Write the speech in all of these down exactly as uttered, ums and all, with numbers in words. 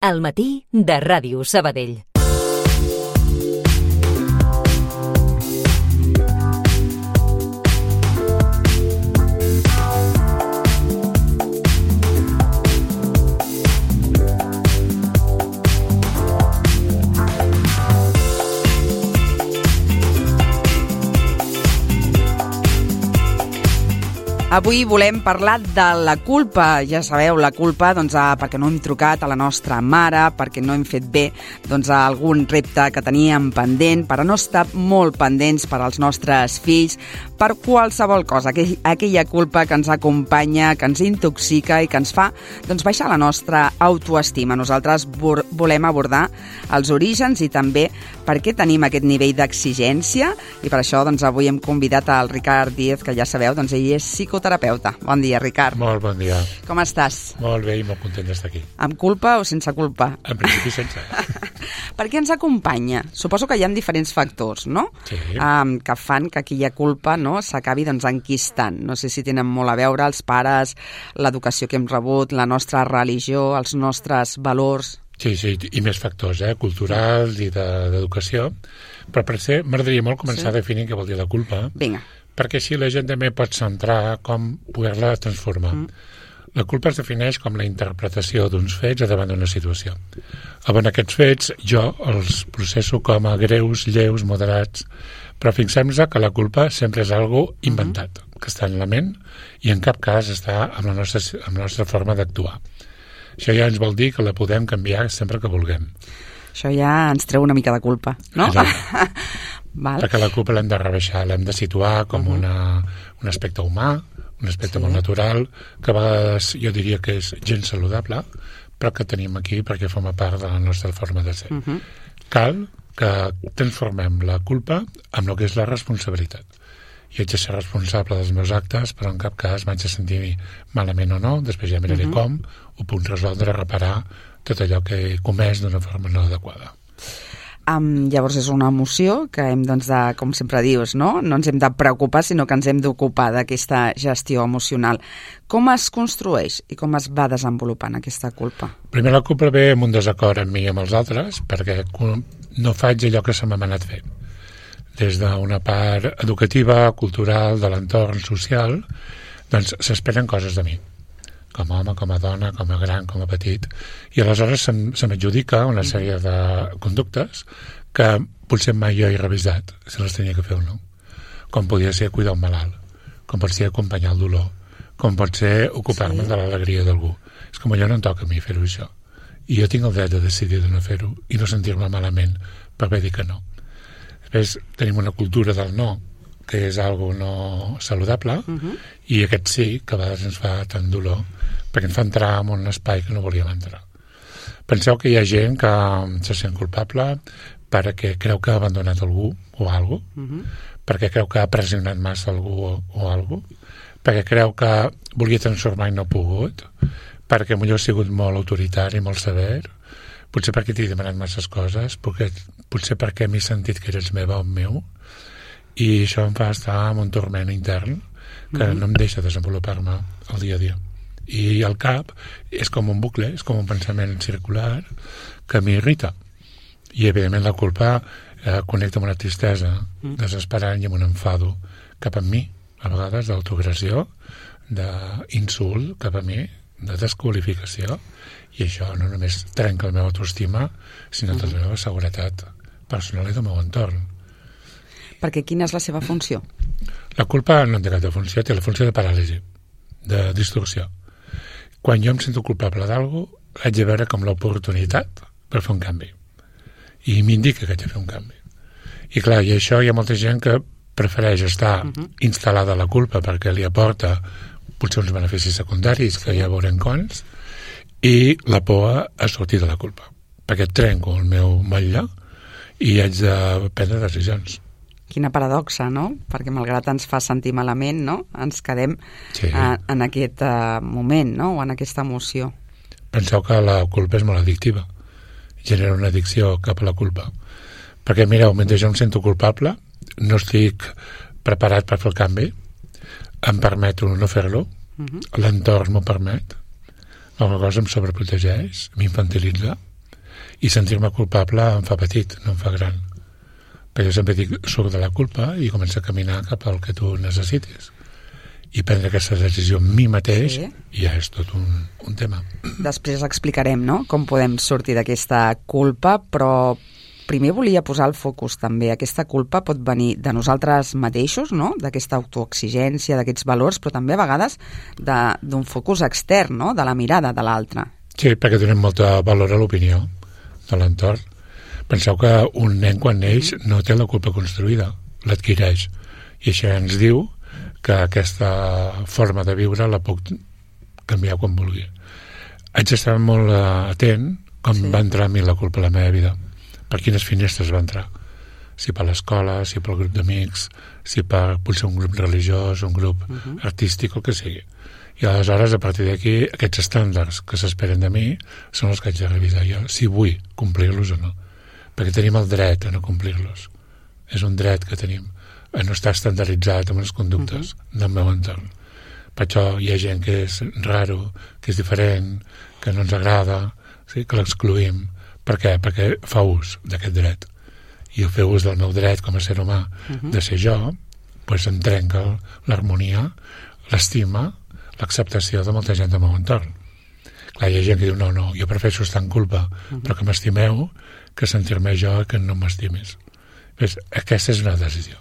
Al matí de Ràdio Sabadell. Avui volem parlar de la culpa. Ja sabeu, la culpa doncs, perquè no hem trucat a la nostra mare, perquè no hem fet bé doncs, algun repte que teníem pendent, per a no estar molt pendents per als nostres fills, per qualsevol cosa, aquell, aquella culpa que ens acompanya, que ens intoxica i que ens fa doncs, baixar la nostra autoestima. Nosaltres volem abordar els orígens i també per què tenim aquest nivell d'exigència, i per això doncs, avui hem convidat al Ricard Díez, que ja sabeu, doncs, ell és psicoterapeuta. Bon dia, Ricard. Molt bon dia. Com estàs? Molt bé i molt content d'estar aquí. Amb culpa o sense culpa? En principi sense. Per què ens acompanya? Suposo que hi ha diferents factors, no? Sí. Um, que fan que aquella culpa no, s'acabi doncs, enquistant. No sé si tenen molt a veure els pares, l'educació que hem rebut, la nostra religió, els nostres valors. Sí, sí, i més factors, eh? Culturals i d'educació. Però per ser, m'agradaria molt començar sí. a definir què vol dir la culpa. Vinga. Perquè així la gent també pot centrar com poder-la transformar. Mm. La culpa es defineix com la interpretació d'uns fets davant d'una situació. Avant aquests fets, jo els processo com a greus, lleus, moderats, però fixem-nos que la culpa sempre és algo inventat, mm-hmm. que està en la ment i en cap cas està amb la nostra, amb la nostra forma d'actuar. Això ja ens vol dir que la podem canviar sempre que vulguem. Això ja ens treu una mica de culpa, no? Val. Perquè la culpa l'hem de rebaixar, l'hem de situar com uh-huh. una, un aspecte humà, un aspecte sí. molt natural, que a vegades jo diria que és gens saludable, però que tenim aquí perquè forma part de la nostra forma de ser. Uh-huh. Cal que transformem la culpa amb el que és la responsabilitat. Jo haig de ser responsable dels meus actes, però en cap cas m'haig de sentir malament o no, després ja miraré uh-huh. com ho puc resoldre, reparar tot allò que he comès d'una forma no adequada. Um, llavors és una emoció que hem, doncs, de, com sempre dius, no? No ens hem de preocupar, sinó que ens hem d'ocupar d'aquesta gestió emocional. Com es construeix i com es va desenvolupant aquesta culpa? Primer, la culpa ve amb un desacord amb mi i amb els altres, perquè no faig allò que se m'ha anat fent. Des d'una part educativa, cultural, de l'entorn social, doncs s'esperen coses de mi, com a home, com a dona, com a gran, com a petit, i aleshores se, se m'adjudica una sèrie de conductes que potser mai jo he revisat si les tenia que fer o no. Com podria ser cuidar un malalt, com pot ser acompanyar el dolor, com pot ser ocupar-me sí. de l'alegria d'algú. És com allò no em toca a mi fer-ho això. I jo tinc el dret de decidir de no fer-ho i no sentir-me malament per haver dit que no. Després tenim una cultura del no, que és algo no saludable, uh-huh. i aquest sí, que a vegades ens fa tant dolor, perquè ens fa entrar en un espai que no volíem entrar. Penseu que hi ha gent que se sent culpable perquè creu que ha abandonat algú o algú, uh-huh. perquè creu que ha pressionat massa algú o, o algú, perquè creu que volia transformar i no ha pogut, perquè potser ha sigut molt autoritari, molt sever, potser perquè t'he demanat masses coses, potser, potser perquè m'he sentit que eres meva o meu, i això em fa estar en un torment intern que mm-hmm. no em deixa desenvolupar-me el dia a dia. I el cap és com un bucle, és com un pensament circular que m'irrita. I, evidentment, la culpa eh, connecta amb una tristesa mm. desesperant i amb un enfado cap a mi, a vegades d'autoagressió, d'insult cap a mi, de desqualificació, i això no només trenca la meva autoestima, sinó mm-hmm. tota la meva seguretat personal i del meu entorn. Perquè quina és la seva funció? La culpa no té cap de funció, té la funció de paràlisi, de distorsió. Quan jo em sento culpable d'algú, haig de veure com l'oportunitat per fer un canvi. I m'indica que haig de fer un canvi. I clar, i això hi ha molta gent que prefereix estar uh-huh. instal·lada a la culpa perquè li aporta potser uns beneficis secundaris, sí. que ja veurem quants, i la por a sortir de la culpa. Perquè trenco el meu motlle i haig de prendre decisions. Quina paradoxa, no? Perquè malgrat ens fa sentir malament, no? Ens quedem sí. a, en aquest uh, moment, no? O en aquesta emoció. Penseu que la culpa és molt addictiva. Genera una addicció cap a la culpa. Perquè, mireu, mentre jo em sento culpable, no estic preparat per fer el canvi, em permeto no fer-lo, uh-huh. l'entorn m'ho permet, alguna cosa em sobreprotegeix, m'infantilitza, I sentir-me culpable em fa petit, no em fa gran. Però jo sempre dic, surt de la culpa i comença a caminar cap al que tu necessitis. I prendre aquesta decisió a mi mateix sí. ja és tot un, un tema. Després explicarem, no?, com podem sortir d'aquesta culpa, però primer volia posar el focus també. Aquesta culpa pot venir de nosaltres mateixos, no?, d'aquesta autoexigència, d'aquests valors, però també a vegades d'un focus extern, no?, de la mirada de l'altre. Sí, perquè donem molta valor a l'opinió de l'entorn. Penseu que un nen quan neix no té la culpa construïda, l'adquireix. I això ens diu que aquesta forma de viure la puc canviar quan vulgui. Haig d'estar molt atent com sí. va entrar a mi la culpa a la meva vida, per quines finestres va entrar, si per l'escola, si pel grup d'amics, si per potser un grup religiós, un grup uh -huh. artístic, el que sigui. I aleshores, a partir d'aquí, aquests estàndards que s'esperen de mi són els que haig de revisar jo, si vull complir-los o no. Perquè tenim el dret a no complir-los. És un dret que tenim, a no estar estandarditzat amb les conductes uh-huh. del meu entorn. Per això hi ha gent que és raro, que és diferent, que no ens agrada, sí? que l'excluïm. Per què? Perquè fa ús d'aquest dret. I el fer ús del meu dret com a ser humà uh-huh. de ser jo, doncs em trenca l'harmonia, l'estima, l'acceptació de molta gent del meu entorn. Clar, hi ha gent que diu, no, no, jo prefereixo estar en culpa, uh-huh. però que m'estimeu, que sentir-me jo que no m'estimis. Pues, aquesta és una decisió.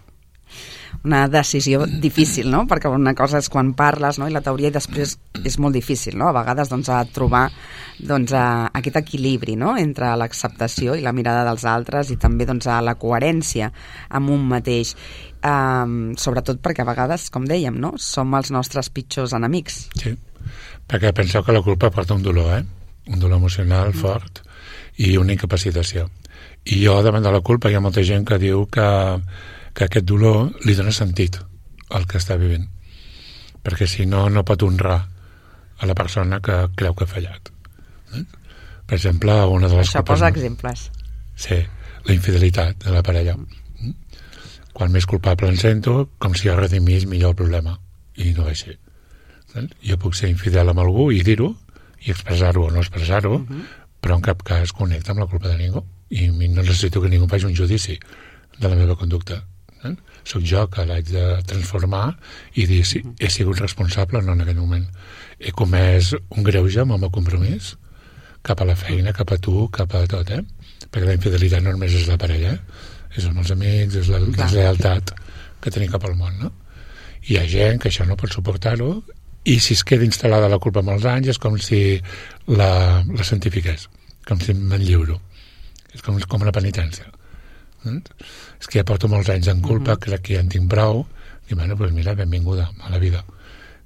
Una decisió difícil, no? Perquè una cosa és quan parles, no?, i la teoria, i després és molt difícil, no?, a vegades doncs, a trobar doncs, a aquest equilibri, no?, entre l'acceptació i la mirada dels altres i també doncs, a la coherència amb un mateix. Um, sobretot perquè a vegades, com dèiem, no?, som els nostres pitjors enemics. Sí, perquè penseu que la culpa porta un dolor, eh? Un dolor emocional mm. fort i una incapacitació. I jo, davant de la culpa, hi ha molta gent que diu que que aquest dolor li dona sentit al que està vivint, perquè si no, no pot honrar a la persona que creu que ha fallat. Eh? Per exemple, una de les Això culpes... posa exemples. Sí, la infidelitat de la parella. Mm. Quan més culpable em sento, com si jo redimís millor el problema, i no és així. Eh? Jo puc ser infidel amb algú i dir-ho, i expressar-ho o no expressar-ho, uh -huh. però en cap cas connecta amb la culpa de ningú, i no necessito que ningú faci un judici de la meva conducta. Eh? Soc jo que l'haig de transformar i dir si he sigut responsable o no en aquell moment. He comès un greuge amb el meu compromís cap a la feina, cap a tu, cap a tot, eh? Perquè la infidelitat no només és la parella, eh? És amb els amics, és la deslleialtat que tenim cap al món, no? Hi ha gent que això no pot suportar-ho i si es queda instal·lada la culpa molts anys és com si la, la santifiqués, com si me'n lliuro. És com, com una penitència. Eh? És que ja porto molts anys en culpa, uh-huh. crec que ja en tinc prou, i bueno, doncs mira, benvinguda a la vida,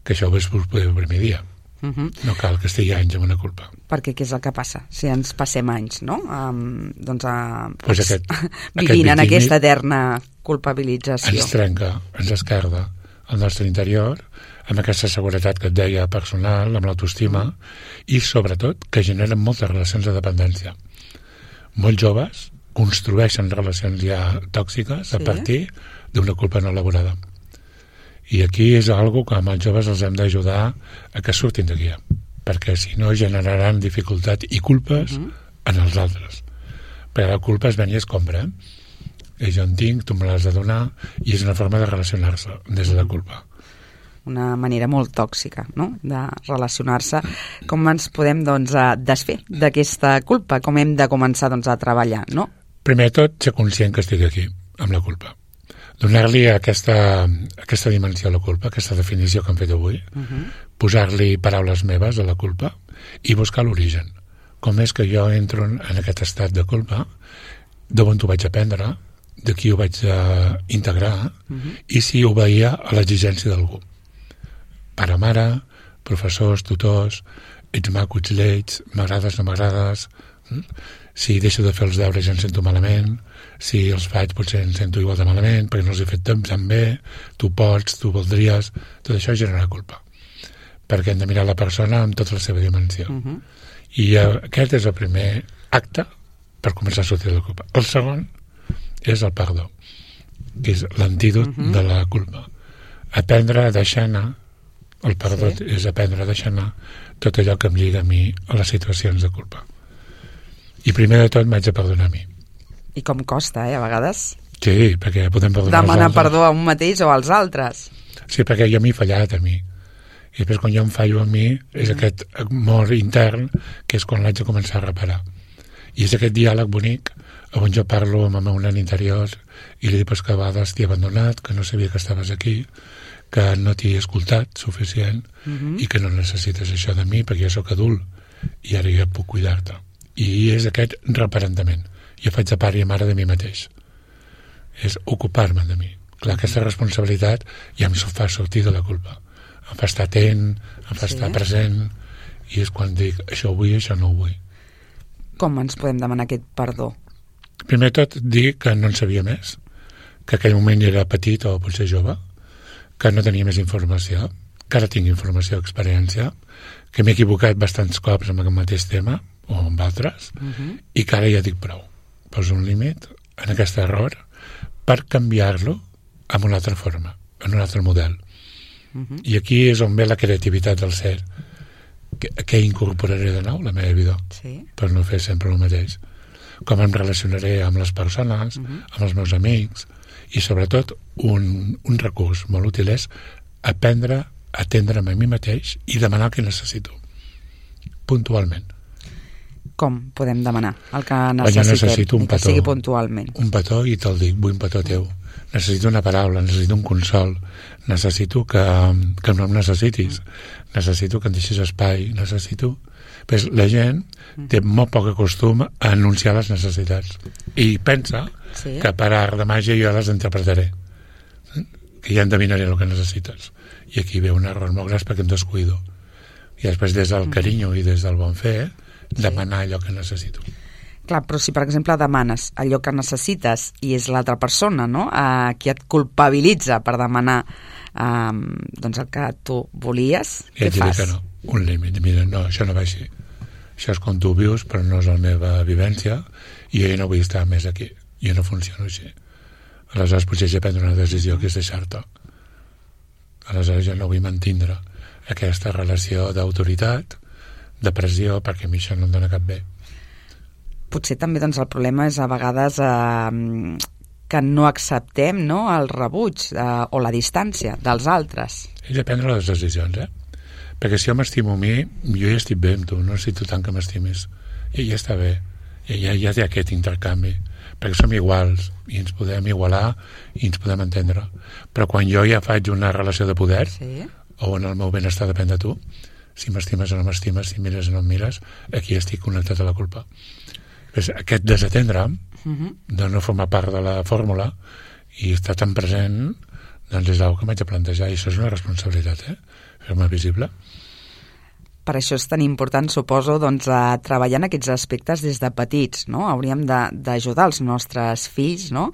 que això ho veus poder el primer dia. Uh-huh. No cal que estigui anys amb una culpa. Perquè què és el que passa? Si ens passem anys, no? Um, doncs a, pues aquest, vivint aquest en aquesta eterna culpabilització. Ens trenca, ens esquerda el nostre interior, amb aquesta seguretat que et deia personal, amb l'autoestima, uh-huh. i sobretot que generen moltes relacions de dependència. Molts joves construeixen relacions ja tòxiques sí. a partir d'una culpa no elaborada. I aquí és algo que amb els joves els hem d'ajudar a que surtin d'aquí, perquè si no generaran dificultat i culpes uh-huh. en els altres. Perquè la culpa es ven i es compra. Eh? I jo en tinc, tu me l'has de donar, i és una forma de relacionar-se des de la culpa. Una manera molt tòxica, no?, de relacionar-se. Com ens podem, doncs, desfer d'aquesta culpa? Com hem de començar, doncs, a treballar, no? Primer de tot, ser conscient que estic aquí, amb la culpa. Donar-li aquesta, aquesta dimensió a la culpa, aquesta definició que hem fet avui, uh-huh. posar-li paraules meves a la culpa i buscar l'origen. Com és que jo entro en aquest estat de culpa, d'on ho vaig aprendre, de qui ho vaig uh, integrar, uh-huh. i si obeïa a l'exigència d'algú. Pare, mare, professors, tutors, ets maco, ets lleig, m'agrades, no m'agrades, hm? Si deixo de fer els deures ja em sento malament, si els faig potser em sento igual de malament perquè no els he fet tan bé, tu pots, tu voldries, tot això genera culpa, perquè hem de mirar la persona amb tota la seva dimensió. Uh-huh. I uh, aquest és el primer acte per començar a sortir de la culpa. El segon és el perdó, que és l'antídot uh-huh. de la culpa. Aprendre a deixar anar, el perdó sí. és aprendre a deixar anar tot allò que em lliga a mi a les situacions de culpa. I primer de tot m'haig de perdonar a mi. I com costa, eh, a vegades? Sí, perquè podem perdonar demanar als altres. perdó a un mateix o als altres. Sí, perquè jo m'he fallat a mi. I després quan jo em fallo a mi és mm. aquest amor intern que és quan l'haig de començar a reparar. I és aquest diàleg bonic on jo parlo amb el meu nen interior i li dic pues, que a vegades t'he abandonat, que no sabia que estaves aquí, que no t'he escoltat suficient mm-hmm. i que no necessites això de mi perquè jo sóc adult i ara jo puc cuidar-te. I és aquest reparentament. Jo faig de pare i mare de mi mateix. És ocupar-me de mi. Clar, aquesta responsabilitat ja em fa sortir de la culpa. Em fa estar atent, em fa sí. estar present, i és quan dic, això ho vull, això no ho vull. Com ens podem demanar aquest perdó? Primer tot, dir que no en sabia més, que aquell moment era petit o potser jove, que no tenia més informació, que ara tinc informació, experiència, que m'he equivocat bastants cops amb aquest mateix tema, o amb altres, uh-huh. i que ara ja dic prou. Poso un límit en aquest error per canviar-lo amb una altra forma, en un altre model. Uh-huh. I aquí és on ve la creativitat del ser. Què incorporaré de nou a la meva vida? Sí. Per no fer sempre el mateix. Com em relacionaré amb les persones, uh-huh. amb els meus amics, i sobretot un, un recurs molt útil és aprendre a atendre'm a mi mateix i demanar el que necessito. Puntualment. Com podem demanar el que necessitem? Jo necessito un petó. Que sigui puntualment. Un petó i te'l dic, vull un petó teu. Necessito una paraula, necessito un consol, necessito que, que no em necessitis, necessito que em deixis espai, necessito... Pues la gent té molt poc costum a anunciar les necessitats i pensa sí. que per art de màgia jo les interpretaré, que ja endevinaré el que necessites. I aquí ve un error molt gras perquè em descuido. I després des del carinyo i des del bon fer demanar allò que necessito. Clar, però si per exemple demanes allò que necessites i és l'altra persona, no?, a qui et culpabilitza per demanar um, doncs el que tu volies, I què fas? Que no, un límit, mira, no, això no va així. Això és com tu vius, però no és la meva vivència i jo no vull estar més aquí. Jo no funciono així. Aleshores potser ja prendre una decisió que és deixar-te. Aleshores jo no vull mantindre aquesta relació d'autoritat, de pressió, perquè a mi això no em dona cap bé. Potser també doncs, el problema és a vegades eh, que no acceptem, no?, el rebuig eh, o la distància dels altres. És de prendre les decisions, eh? Perquè si jo m'estimo a mi, jo ja estic bé amb tu, no necessito tant que m'estimis. I ja està bé. I ja, ja té aquest intercanvi. Perquè som iguals i ens podem igualar i ens podem entendre. Però quan jo ja faig una relació de poder, sí. o en el meu benestar depèn de tu, si m'estimes o no m'estimes, si mires o no em mires, aquí estic connectat a la culpa. Pues aquest desatendre uh-huh. de no formar part de la fórmula i estar tan present, doncs és una que m'haig de plantejar, i això és una responsabilitat, eh? Fer-me visible. Per això és tan important, suposo, doncs, a treballar en aquests aspectes des de petits, no? Hauríem d'ajudar els nostres fills, no?,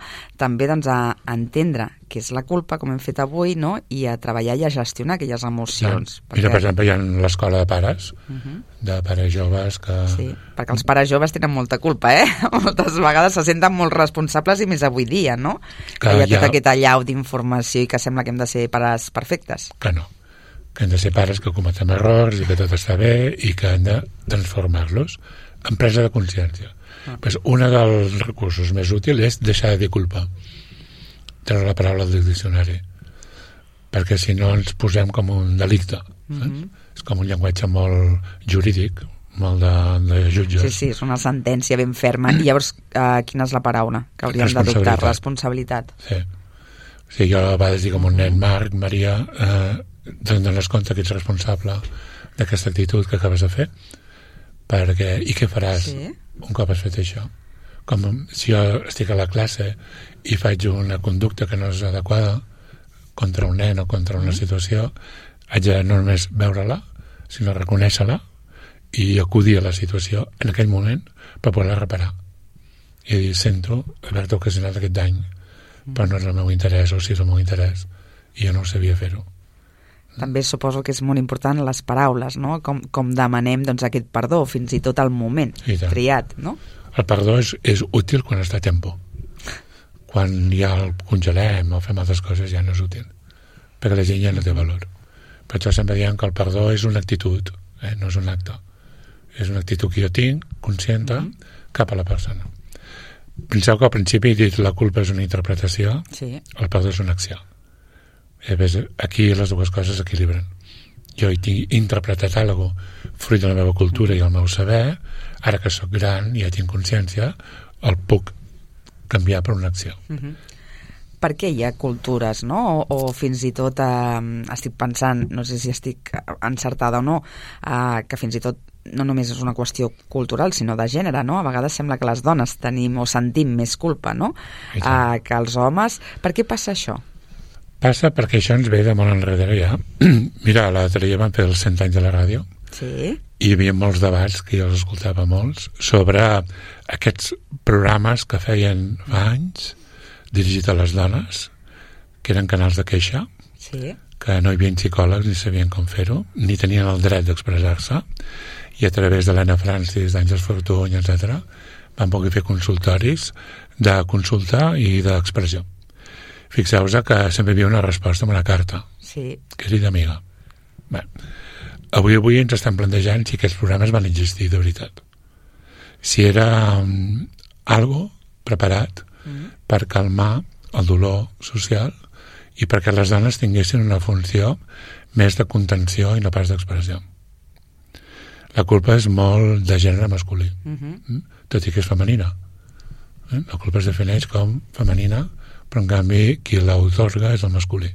també doncs, a entendre què és la culpa, com hem fet avui, no?, i a treballar i a gestionar aquelles emocions. No. Perquè... Mira, per exemple, hi ha l'escola de pares, uh-huh. de pares joves que... Sí, perquè els pares joves tenen molta culpa, eh? Moltes vegades se senten molt responsables i més avui dia, no? Que, que hi ha tot ha... aquest allau d'informació i que sembla que hem de ser pares perfectes. Que no. Que hem de ser pares que cometem errors i que tot està bé i que hem de transformar-los en presa de consciència. Ah. Pues un dels recursos més útils és deixar de dir culpa, treure la paraula del diccionari, perquè si no ens posem com un delicte. Mm-hmm. És com un llenguatge molt jurídic, molt de, de jutges. Sí, sí, és una sentència ben ferma. I llavors, eh, quina és la paraula que hauríem d'adoptar? Responsabilitat. Sí. Sí, jo a vegades dic com un nen, Marc, Maria, eh, te'n dones compte que ets responsable d'aquesta actitud que acabes de fer, perquè, i què faràs sí. un cop has fet això? Com si jo estic a la classe i faig una conducta que no és adequada contra un nen o contra una situació, haig de no només veure-la, sinó reconèixer-la i acudir a la situació en aquell moment per poder-la reparar. I dir, sento haver-te ocasionat aquest dany, però no és el meu interès, o si és el meu interès, i jo no ho sabia fer-ho. També suposo que és molt important les paraules, no? Com, com demanem doncs, aquest perdó, fins i tot al moment triat, no? El perdó és, és útil quan està a tempo. Quan ja el congelem o fem altres coses ja no és útil, perquè la gent ja no té valor. Per això sempre diem que el perdó és una actitud, eh? No és un acte. És una actitud que jo tinc, consciente, mm-hmm. cap a la persona. Penseu que al principi he dit la culpa és una interpretació, sí. el perdó és una acció. I ves, aquí les dues coses s'equilibren. Jo he interpretat alguna cosa fruit de la meva cultura i el meu saber, ara que sóc gran i ja tinc consciència, el puc canviar per una acció. Uh-huh. Per què hi ha cultures, no? O, o fins i tot, eh, estic pensant, no sé si estic encertada o no, eh, que fins i tot no només és una qüestió cultural, sinó de gènere, no? A vegades sembla que les dones tenim o sentim més culpa, no? Eh, que els homes. Per què passa això? Passa perquè això ens ve de molt enrere ja. Mira, l'altre dia vam fer els cent anys de la ràdio. Sí. I hi havia molts debats, que jo els escoltava molts, sobre aquests programes que feien fa anys, dirigit a les dones, que eren canals de queixa, sí. que no hi havia psicòlegs ni sabien com fer-ho, ni tenien el dret d'expressar-se, i a través de l'Anna Francis, d'Àngels Fortuny, etcètera, van poder fer consultoris de consulta i d'expressió. Fixeu-vos que sempre hi havia una resposta amb una carta, sí. que és d'amiga. Bé, avui avui ens estem plantejant si aquests programes van existir de veritat. Si era um, algo preparat mm. per calmar el dolor social i perquè les dones tinguessin una funció més de contenció i no pas d'expressió. La culpa és molt de gènere masculí, mm-hmm. tot i que és femenina. Eh? La culpa es defineix com femenina, però en canvi qui l'autorga és el masculí.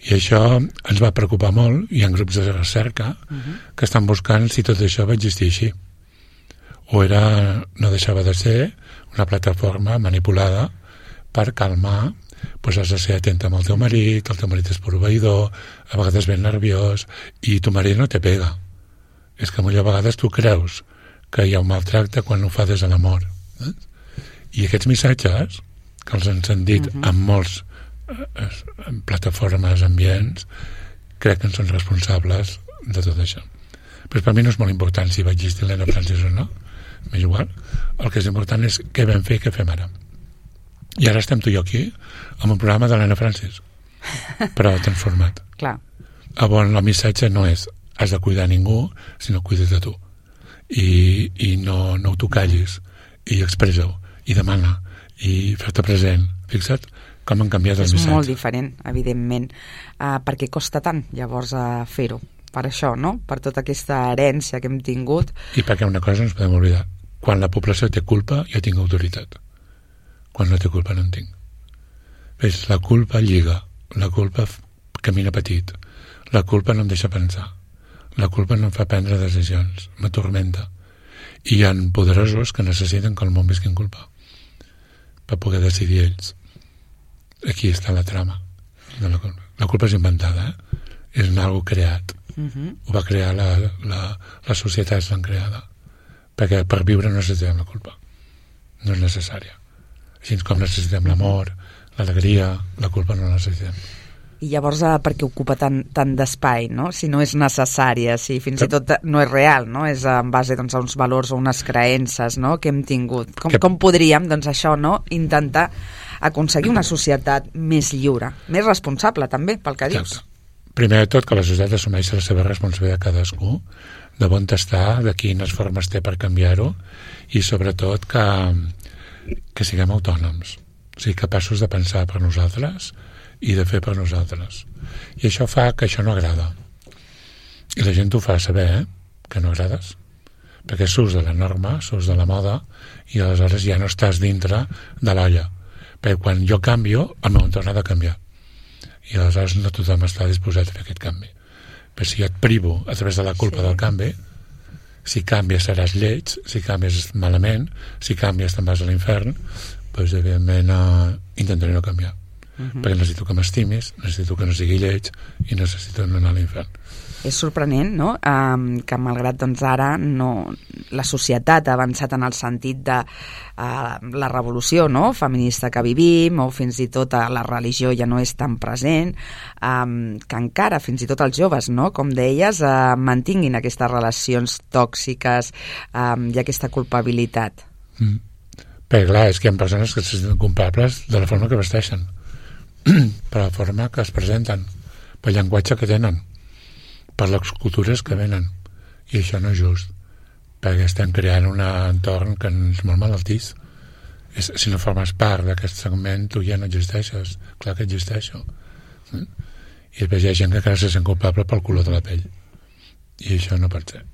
I això ens va preocupar molt. Hi ha grups de recerca uh-huh. que estan buscant si tot això va existir així. O era, no deixava de ser una plataforma manipulada per calmar, doncs has de ser atenta amb el teu marit, el teu marit és proveïdor, a vegades ben nerviós, i tu marit no te pega. És que a vegades tu creus que hi ha un maltracte quan ho fa des de l'amor. Eh? I aquests missatges, que els han sentit uh-huh. en molts en plataformes, ambients, crec que en són responsables de tot això. Però per mi no és molt important si va existir l'Anna Francis o no, m'és igual. El que és important és què vam fer i què fem ara. I ara estem tu i jo aquí amb un programa de l'Anna Francis, però transformat. Clar. On el missatge no és has de cuidar ningú, sinó cuida't de tu. I, i no, no t'ho callis, i expressa-ho, i demana, i fer-te present. Fixa't com han canviat el és missatge. És molt diferent, evidentment. Uh, per què costa tant, llavors, uh, fer-ho? Per això, no? Per tota aquesta herència que hem tingut. I perquè una cosa no ens podem oblidar. Quan la població té culpa, jo tinc autoritat. Quan no té culpa, no en tinc. Ves, la culpa lliga. La culpa camina petit. La culpa no em deixa pensar. La culpa no em fa prendre decisions. M'atormenta. I hi ha poderosos que necessiten que el món visqui en culpa per poder decidir ells. Aquí està la trama de la culpa. La culpa és inventada, eh? És algo creat. Uh-huh. Ho va crear la, la, les societats l'han creada. Perquè per viure no necessitem la culpa. No és necessària. Així com necessitem l'amor, l'alegria, la culpa no la necessitem. I llavors per què ocupa tant, tant d'espai, no? Si no és necessària, si fins i tot no és real, no? És en base doncs, a uns valors o unes creences, no? Que hem tingut. Com, com podríem, doncs això, no? Intentar aconseguir una societat més lliure, més responsable també, pel que dius. Primer de tot, que la societat assumeixi la seva responsabilitat cadascú, de on està, de quines formes té per canviar-ho, i sobretot que, que siguem autònoms, o sigui, capaços de pensar per nosaltres i de fer per nosaltres. I això fa que això no agrada. I la gent ho fa saber, eh? Que no agrades. Perquè surts de la norma, surts de la moda, i aleshores ja no estàs dintre de l'olla. Perquè quan jo canvio, el meu entorn ha de canviar. I aleshores no tothom està disposat a fer aquest canvi. Però si jo et privo a través de la culpa sí. del canvi, si canvies seràs lleig, si canvies malament, si canvies te'n vas a l'infern, doncs evidentment eh, intentaré no canviar. Uh-huh. Perquè necessito que m'estimis, necessito que no sigui lleig i necessito no anar a l'infern. És sorprenent, no?, um, que malgrat doncs, ara no, la societat ha avançat en el sentit de uh, la revolució, no?, feminista que vivim, o fins i tot uh, la religió ja no és tan present, um, que encara fins i tot els joves, no?, com deies, uh, mantinguin aquestes relacions tòxiques um, i aquesta culpabilitat. Mm. Perquè clar, és que hi ha persones que se senten culpables de la forma que vesteixen, per la forma que es presenten, pel llenguatge que tenen, per les cultures que venen, i això no és just, perquè estem creant un entorn que és molt malaltís. És, si no formes part d'aquest segment, tu ja no existeixes. Clar que existeixo. Eh? I després hi ha gent que encara se sent culpable pel color de la pell. I això no pot ser.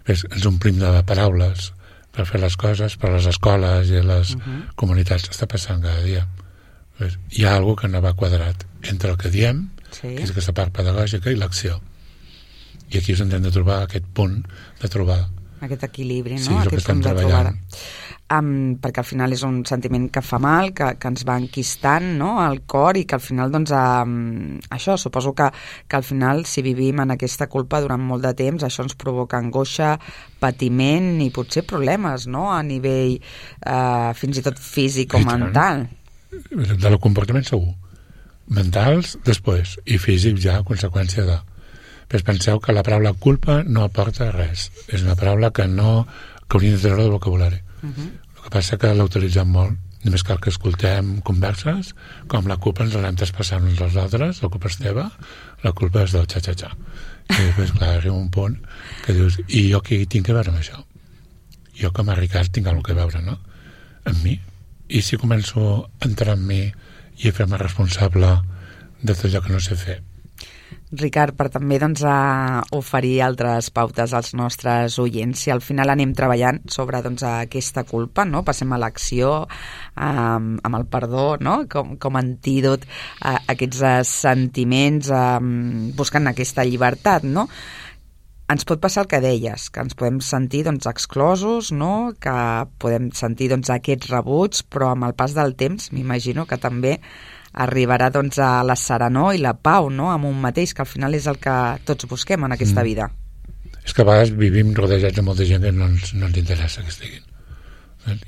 Després ens omplim de paraules per fer les coses, per les escoles i les uh-huh. comunitats. Està passant cada dia. Després, hi ha alguna que no va quadrat entre el que diem, sí. que és aquesta part pedagògica, i l'acció. I aquí és on hem de trobar aquest punt de trobar aquest equilibri, no? Sí, aquest punt de trobar um, perquè al final és un sentiment que fa mal, que, que ens va enquistant, no? al cor, i que al final doncs, um, això, suposo que, que al final si vivim en aquesta culpa durant molt de temps, això ens provoca angoixa, patiment i potser problemes, no? A nivell uh, fins i tot físic o mental. De el comportament segur, mentals després, i físic ja a conseqüència de. Però penseu que la paraula culpa no aporta res. És una paraula que no que hauríem de treure del vocabulari. Uh-huh. El que passa que la utilitzem molt. Només cal que escoltem converses, com la culpa ens l'anem traspassant uns als altres, la culpa és teva, la culpa és del xa-xa-xa. I després, clar, arriba un punt que dius, i jo què tinc a veure amb això? Jo com a Ricard tinc alguna cosa a veure, no? Amb mi. I si començo a entrar en mi i a fer-me responsable de tot allò que no sé fer, Ricard, per també doncs, a oferir altres pautes als nostres oients. Si al final anem treballant sobre doncs, aquesta culpa, no? Passem a l'acció um, amb el perdó, no? com, com antídot a aquests sentiments, um, buscant aquesta llibertat, no? Ens pot passar el que deies, que ens podem sentir doncs, exclosos, no? Que podem sentir doncs, aquests rebuts, però amb el pas del temps m'imagino que també arribarà doncs, a la serenor i la pau, no? Amb un mateix, que al final és el que tots busquem en aquesta mm. vida. És que a vegades vivim rodejats de molta gent que no ens, no ens interessa que estiguin.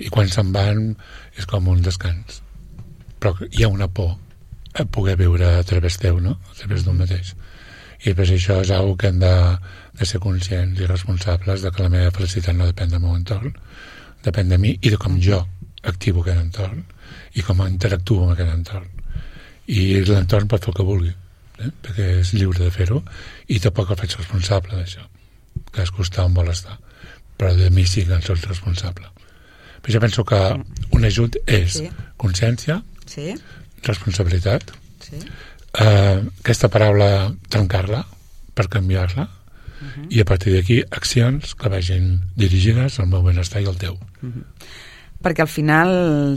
I quan se'n van és com un descans. Però hi ha una por a poder viure a través teu, no? A través d'un mateix. I després això és una que hem de, de ser conscients i responsables de que la meva felicitat no depèn del meu entorn, depèn de mi i de com jo activo aquest entorn i com interactuo amb aquest entorn. I l'entorn pot fer el que vulgui, eh? perquè és lliure de fer-ho, i tampoc el faig responsable d'això, que es costa on vol estar, però de mi sí que en soc responsable. Però jo penso que un ajut és sí. consciència, sí. responsabilitat, sí. Eh, aquesta paraula trencar-la per canviar-la, uh-huh. i a partir d'aquí accions que vagin dirigides al meu benestar i al teu. Uh-huh. Perquè al final,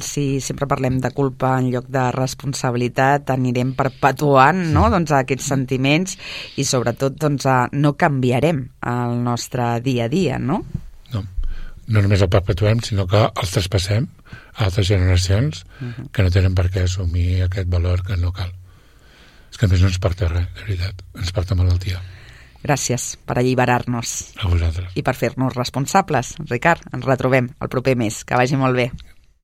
si sempre parlem de culpa en lloc de responsabilitat, anirem perpetuant, no? doncs, aquests sentiments i sobretot doncs, no canviarem el nostre dia a dia, no? No, no només el perpetuem, sinó que els traspassem a altres generacions uh-huh. que no tenen per què assumir aquest valor que no cal. És que a més no ens porta res, de veritat, ens porta malaltia. Gràcies per alliberar-nos. A vosaltres. I per fer-nos responsables. Ricard, ens retrobem el proper mes. Que vagi molt bé.